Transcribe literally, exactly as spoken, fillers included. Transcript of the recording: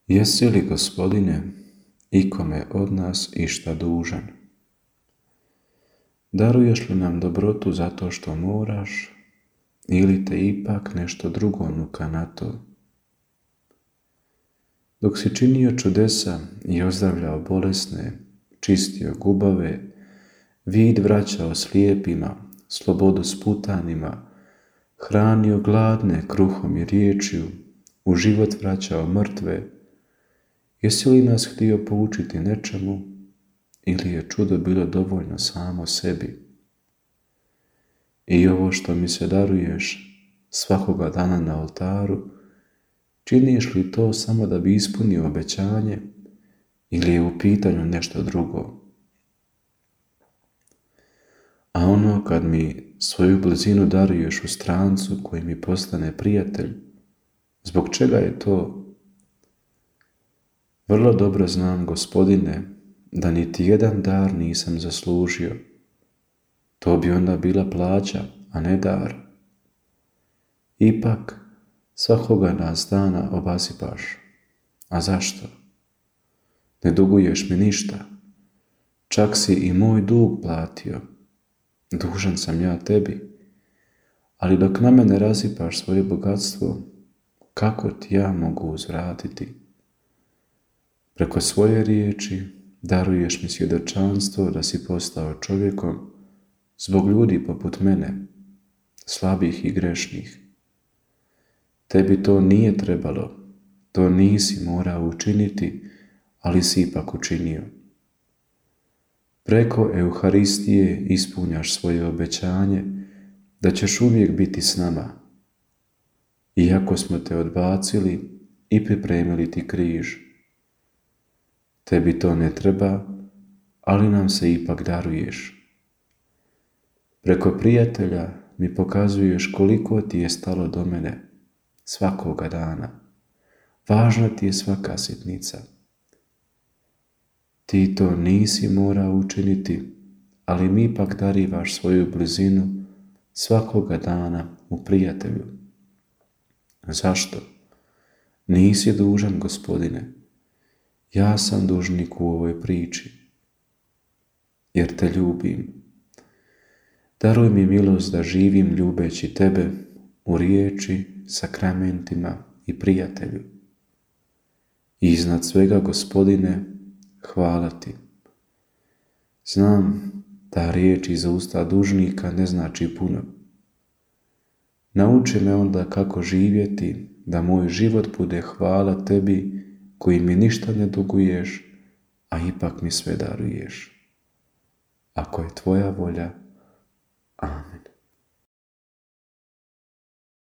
Jesi li, Gospodine, ikome od nas išta dužan? Daruješ li nam dobrotu zato što moraš, ili te ipak nešto drugo nuka na to? Dok si činio čudesa i ozdravljao bolesne, čistio gubave, vid vraćao slijepima, slobodu sputanima, hranio gladne kruhom i riječju, u život vraćao mrtve, jesi li nas htio poučiti nečemu, ili je čudo bilo dovoljno samo sebi? I ovo što mi se daruješ svakoga dana na oltaru, činiš li to samo da bi ispunio obećanje, ili je u pitanju nešto drugo? A ono kad mi svoju blizinu daruješ u strancu koji mi postane prijatelj, zbog čega je to? Vrlo dobro znam, Gospodine, da niti jedan dar nisam zaslužio. To bi onda bila plaća, a ne dar. Ipak, svakoga nas dana obasipaš. A zašto? Ne duguješ mi ništa. Čak si i moj dug platio. Dužan sam ja tebi. Ali dok na mene razipaš svoje bogatstvo, kako ti ja mogu uzvratiti? Preko svoje riječi daruješ mi svjedočanstvo da si postao čovjekom zbog ljudi poput mene, slabih i grešnih. Tebi to nije trebalo, to nisi morao učiniti, ali si ipak učinio. Preko Euharistije ispunjaš svoje obećanje da ćeš uvijek biti s nama, iako smo te odbacili i pripremili ti križ. Tebi to ne treba, ali nam se ipak daruješ. Preko prijatelja mi pokazuješ koliko ti je stalo do mene svakoga dana. Važna ti je svaka sitnica. Ti to nisi morao učiniti, ali mi ipak darivaš svoju blizinu svakoga dana u prijatelju. Zašto? Nisi dužan, Gospodine. Ja sam dužnik u ovoj priči, jer te ljubim. Daruj mi milost da živim ljubeći tebe u riječi, sakramentima i prijatelju. I iznad svega, Gospodine, hvala ti. Znam da riječ iz usta dužnika ne znači puno. Nauči me onda kako živjeti, da moj život bude hvala tebi koji mi ništa ne duguješ, a ipak mi sve daruješ. Ako je tvoja volja,